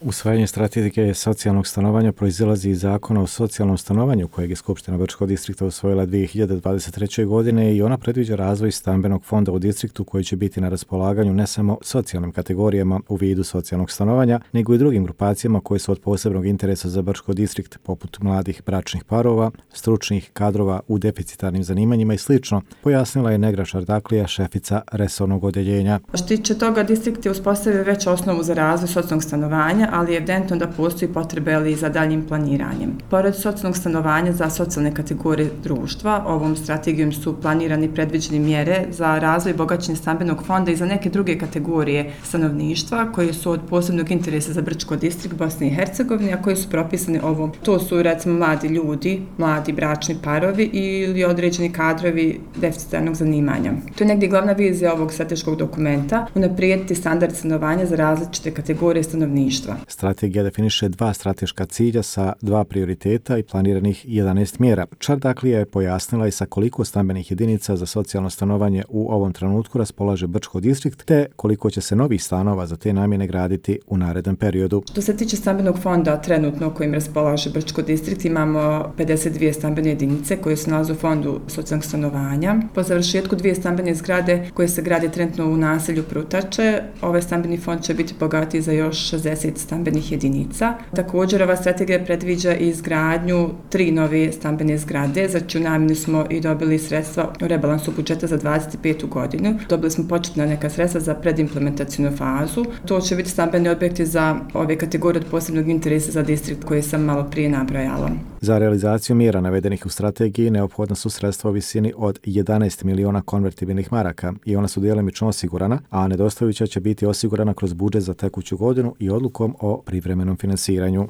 Usvajanje strategije socijalnog stanovanja proizilazi iz Zakona o socijalnom stanovanju kojeg je Skupština Brčkog distrikta usvojila 2023. godine i ona predviđa razvoj stambenog fonda u distriktu koji će biti na raspolaganju ne samo socijalnim kategorijama u vidu socijalnog stanovanja, nego i drugim grupacijama koje su od posebnog interesa za Brčko distrikt, poput mladih bračnih parova, stručnih kadrova u deficitarnim zanimanjima i sl., pojasnila je Negra Šardaklija, šefica resornog odjeljenja. Što tiče toga, distrikt je uspostavio već osnovu za razvoj socijalnog stanovanja, ali je evidentno da postoji potrebe za daljim planiranjem. Pored socijalnog stanovanja za socijalne kategorije društva, ovom strategijom su planirani i predviđene mjere za razvoj i bogaćenje stambenog fonda i za neke druge kategorije stanovništva koje su od posebnog interesa za Brčko distrikt Bosne i Hercegovine, a koje su propisane ovom. To su recimo mladi ljudi, mladi bračni parovi ili određeni kadrovi deficitarnog zanimanja. To je negdje glavna vizija ovog strateškog dokumenta, unaprijediti standard stanovanja za različite kategorije stanovništva. Strategija definiše 2 strateška cilja sa 2 prioriteta i planiranih 11 mjera. Šardaklija je pojasnila i sa koliko stambenih jedinica za socijalno stanovanje u ovom trenutku raspolaže Brčko distrikt, te koliko će se novih stanova za te namjene graditi u narednom periodu. Što se tiče stambenog fonda trenutno kojim raspolaže Brčko distrikt, imamo 52 stambene jedinice koje se nalaze u fondu socijalnog stanovanja. Po završetku 2 stambene zgrade koje se grade trenutno u naselju Prutače, ovaj stambeni fond će biti bogatiji za još 60 stambenih jedinica. Također, ova strategija predviđa i izgradnju 3 nove stambene zgrade, za čiju namjenu smo i dobili sredstva u rebalansu budžeta za 2025. godinu. Dobili smo početna neka sredstva za predimplementacijnu fazu. To će biti stambeni objekti za ove kategorije od posebnog interesa za distrikt koje sam malo prije nabrojala. Za realizaciju mjera navedenih u strategiji neophodna su sredstva u visini od 11 miliona konvertibilnih maraka i ona su djelomično osigurana, a nedostajuća će biti osigurana kroz budžet za tekuću godinu i odlukom o privremenom finansiranju.